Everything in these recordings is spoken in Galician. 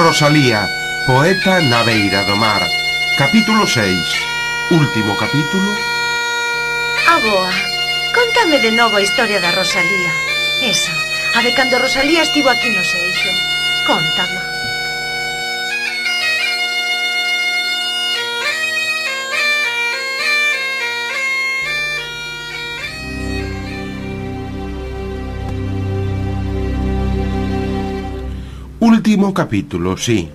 Rosalía, poeta na beira do mar. Capítulo 6. Último capítulo. Aboa, contame de novo a historia da Rosalía. Esa, a de cando Rosalía estivo aquí no Seixo. Contama. Último capítulo, sí.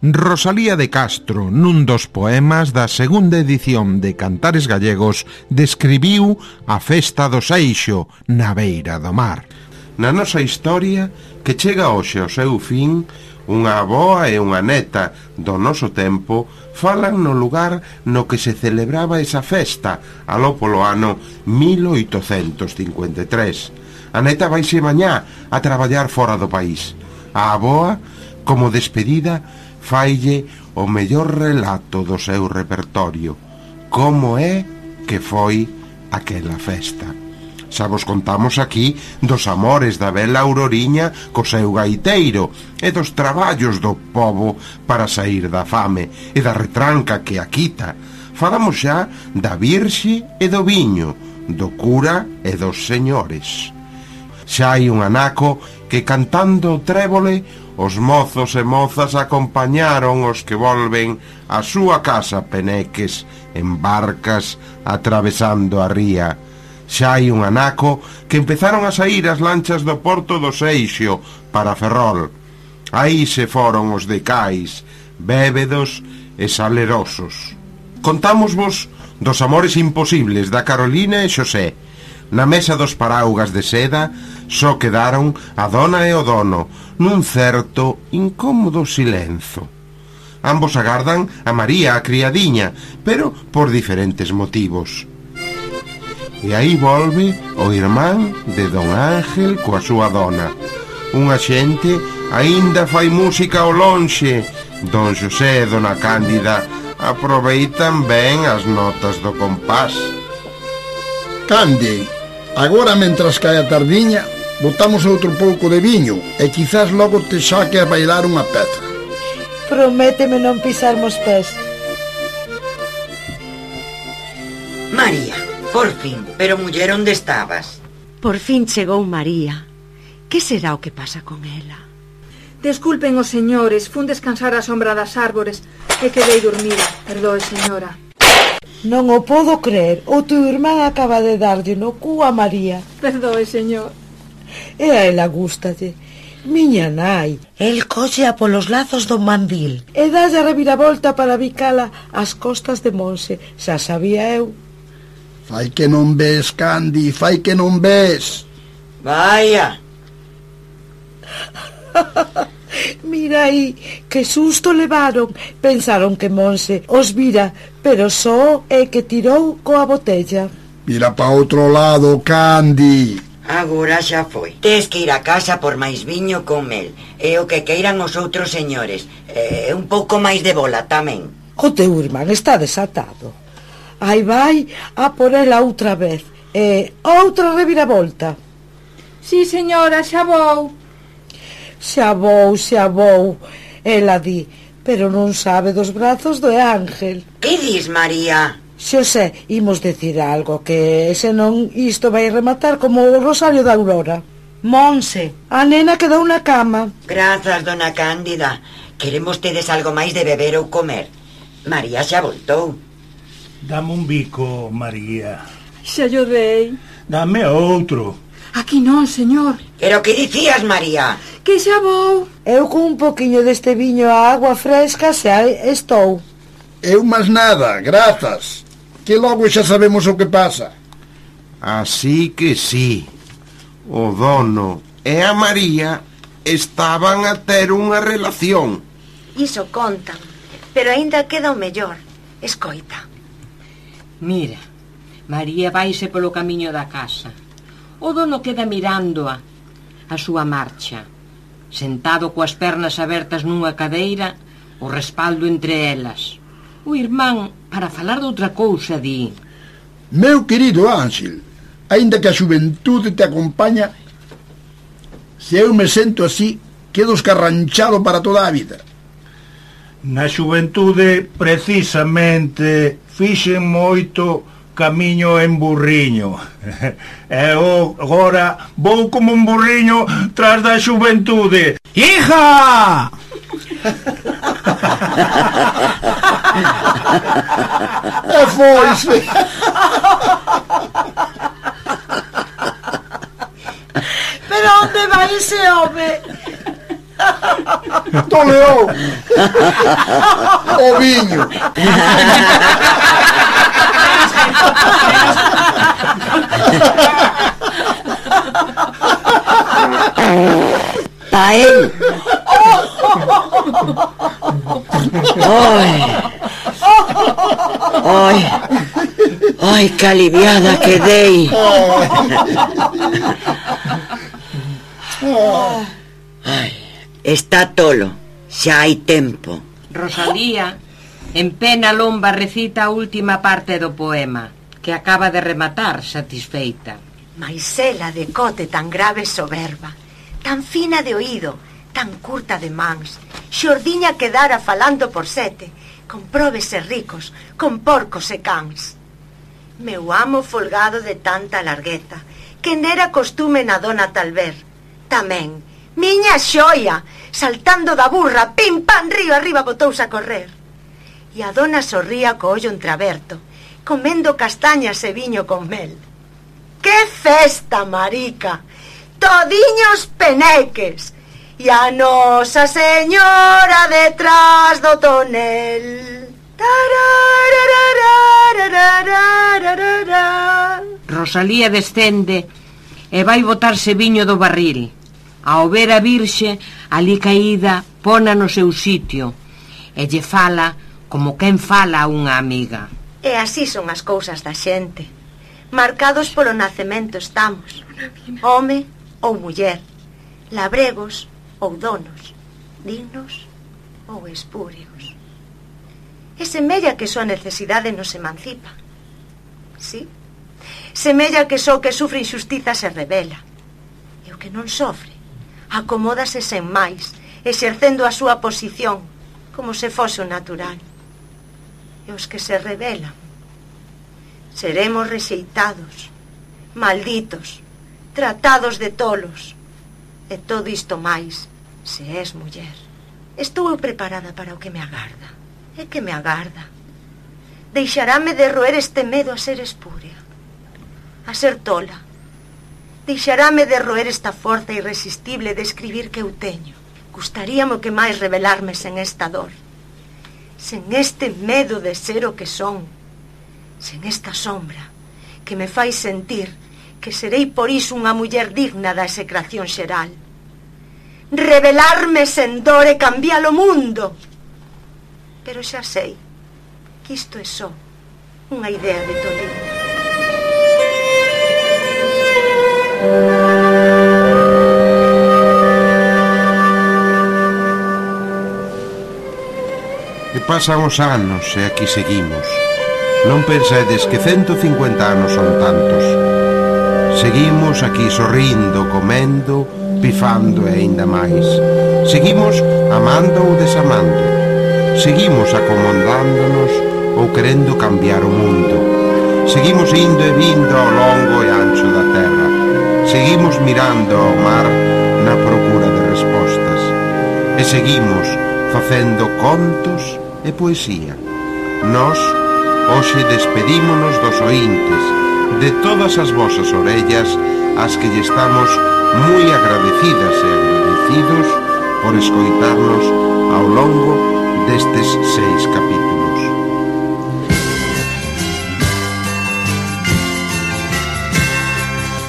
Rosalía de Castro, nun dos poemas da segunda edición de Cantares Gallegos, describiu a festa do Seixo na beira do mar. Na nosa historia, que chega hoxe ao seu fin, unha avoa e unha neta do noso tempo falan no lugar no que se celebraba esa festa, aló polo ano 1853. A neta vaise mañá a traballar fora do país. A avoa, como despedida, faille o mellor relato do seu repertorio, como é que foi aquela festa. Xa vos contamos aquí dos amores da bela Auroriña co seu gaiteiro e dos traballos do pobo para saír da fame e da retranca que a quita. Falamos xa da Virxe e do viño, do cura e dos señores. Xa hai un anaco que cantando o trébole os mozos e mozas acompañaron os que volven á súa casa peneques en barcas atravesando a ría. Xa hai un anaco que empezaron a saír as lanchas do porto do Seixo para Ferrol. Aí se foron os de cais, bébedos e salerosos. Contámosvos dos amores imposibles da Carolina e Xosé. Na mesa dos paraugas de seda só quedaron a dona e o dono nun certo incómodo silenzo. Ambos agardan a María, a criadiña, pero por diferentes motivos. E aí volve o irmán de don Ángel coa súa dona. Unha xente aínda fai música ao lonxe. Don Xosé e dona Cándida aproveitan ben as notas do compás. Cande, agora, mentras cae a tardiña, botamos outro pouco de viño e quizás logo te saque a bailar unha peza. Prométeme non pisarmos pés. María, por fin, pero muller, onde estabas? Por fin chegou María. Que será o que pasa con ela? Desculpen os señores, fun descansar á sombra das árbores e quedei dormida. Perdoe, señora. Non o podo creer. O teu irmán acaba de darlle no cu a María. Perdoe, señor. E a ela gústalle. Miña nai. El cóxea polos lazos do mandil. E dalle a reviravolta para bicala ás costas de Monse. Xa sabía eu. Fai que non ves, Candi, fai que non ves. Vaya. Mira aí, que susto levaron. Pensaron que Monse os vira, pero só é que tirou coa botella. Mira pa outro lado, Candi. Agora xa foi. Tes que ir a casa por máis viño con mel. E o que queiran os outros señores. E un pouco máis de bola tamén. O teu irmán está desatado. Aí vai a por ela outra vez. E outra reviravolta. Sí, señora, xa vou. Xa vou, ela di, pero non sabe dos brazos do Ángel. Que dis, María? Xosé, imos decir algo, que senón isto vai rematar como o rosario da Aurora. Monse, a nena quedou na cama. Grazas, dona Cándida. Queremos tedes algo máis de beber ou comer. María xa voltou. Dame un bico, María. Xa yo dei. Dame outro. Aquí non, señor. Pero que dicías, María? Que xa vou. Eu con un poquinho deste viño a agua fresca xa estou. Eu máis nada, grazas. Que logo xa sabemos o que pasa. Así que sí, o dono e a María estaban a ter unha relación. Iso contan, pero aínda queda o mellor. Escoita. Mira, María vaise polo camiño da casa. O dono queda mirándoa a súa marcha, sentado coas pernas abertas nunha cadeira, o respaldo entre elas. O irmán, para falar de outra cousa, di: Meu querido Ángel, aínda que a xuventude te acompaña, se eu me sento así, quedo escarranchado para toda a vida. Na xuventude, precisamente, fixen moito camiño en burriño. E eu agora vou como un burriño tras da xuventude. Hija! E foise. Pero onde vai ese home? Toleou o viño. Pa él. Ai, que aliviada quedei. Ai, está tolo, xa hai tempo. Rosalía, en pena lomba, recita a última parte do poema, que acaba de rematar satisfeita. Mais ela de cote tan grave e soberba, tan fina de oído, tan curta de mans, xordiña quedara falando por sete, con probes e ricos, con porcos e cans. Meu amo folgado de tanta largueza, que nera costume na dona tal ver. Tamén, miña xoia, saltando da burra, pim pam, río arriba botouse a correr. E a dona sorría co ollo entreaberto, comendo castañas e viño con mel. Que festa, marica! Todiños peneques! E a Nosa Señora detrás do tonel. Rosalía descende e vai botarse viño do barril. Ao ver a Virxe, ali caída, pona no seu sitio e lle fala como quen fala a unha amiga. E así son as cousas da xente. Marcados polo nacemento estamos. Home ou muller, labregos ou donos, dignos ou espúreos. E semella que só a necesidade nos emancipa. Sí, semella que só que sufre injustiza se rebela. E o que non sofre acomódase sen máis, exercendo a súa posición como se fose o natural. E os que se rebelan seremos rexeitados, malditos, tratados de tolos. E todo isto máis se és muller. Estou preparada para o que me agarda. E que me agarda? Deixarame de roer este medo a ser espúrea, a ser tola. Deixarame de roer esta forza irresistible de escribir que eu teño. Gustaríame o que máis revelarme sen esta dor, sen este medo de ser o que son, sen esta sombra que me fai sentir que serei por iso unha muller digna da execración xeral. Revelarme sen dor e cambiar o mundo. Pero xa sei que isto é só unha idea de toliña. E pasan os anos e aquí seguimos. Non pensedes que 150 anos son tantos. Seguimos aquí sorrindo, comendo, pifando e aínda máis. Seguimos amando ou desamando. Seguimos acomodándonos ou querendo cambiar o mundo. Seguimos indo e vindo ao longo e ancho da terra. Seguimos mirando ao mar na procura de respostas. E seguimos facendo contos e poesía. Nós, hoxe despedímonos dos oíntes, de todas as vosas orellas, as que lle estamos moi agradecidas e agradecidos por escoitarnos ao longo destes 6 capítulos.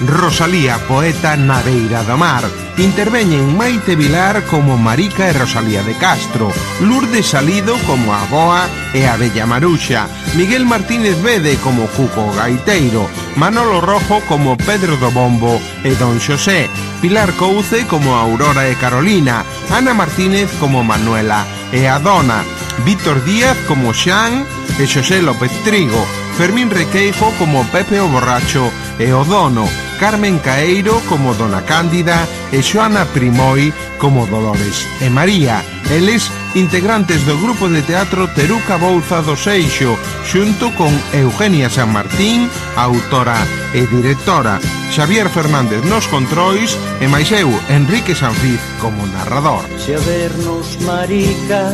Rosalía, poeta na beira do mar. Interveñen Maite Vilar como Marica e Rosalía de Castro, Lourdes Salido como a Boa e a Bella Maruxa, Miguel Martínez Bede como Cuco Gaiteiro, Manolo Rojo como Pedro do Bombo e Don Xosé, Pilar Couce como Aurora e Carolina, Ana Martínez como Manuela e a Dona, Víctor Díaz como Xan e Xosé López Trigo, Fermín Requeijo como Pepe o Borracho e o Dono, Carmen Caeiro como Dona Cándida e Xoana Primoi como Dolores e María, Eles integrantes do grupo de teatro Teruca Bouza do Seixo, xunto con Eugenia San Martín, autora e directora, Xavier Fernández nos controis e máis eu, Enrique Sanfiz, como narrador. Se a vernos, marica,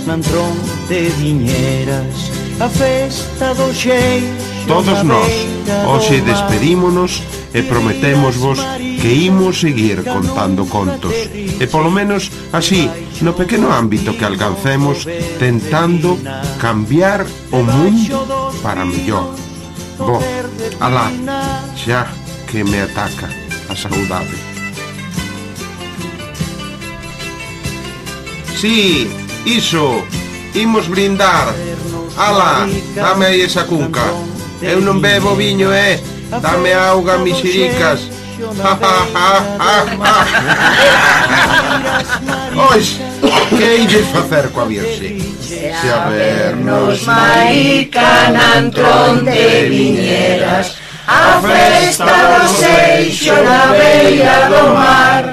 nan tronte viñeras, a festa do Xeixo. Todos nós, hoxe despedímonos e prometémosvos que imos seguir contando contos. E polo menos así, no pequeno ámbito que alcancemos, tentando cambiar o mundo para mellor. Bo, alá, xa que me ataca a saudade. Sí, iso, imos brindar. Ala, dame aí esa cunca. Eu non bebo viño, dame auga, misiricas. Ois, que hei de facer coa Virxe? Se a vernos, marica, nan tronte viñeras, a festa do Seixo na beira do mar.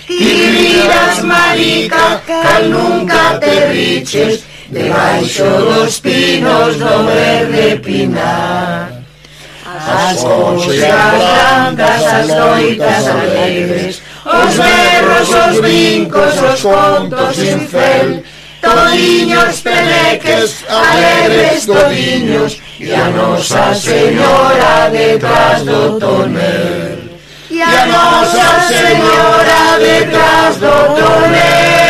Ti viras, marica, cal nunca te riches, debaixo dos pinos do verde pinar. As conxas brancas, as noitas alegres, os berros, os brincos, os contos sin fel, todiños peleques, alegres todiños, e a Nosa Señora detrás do tonel. E a Nosa Señora detrás do tonel.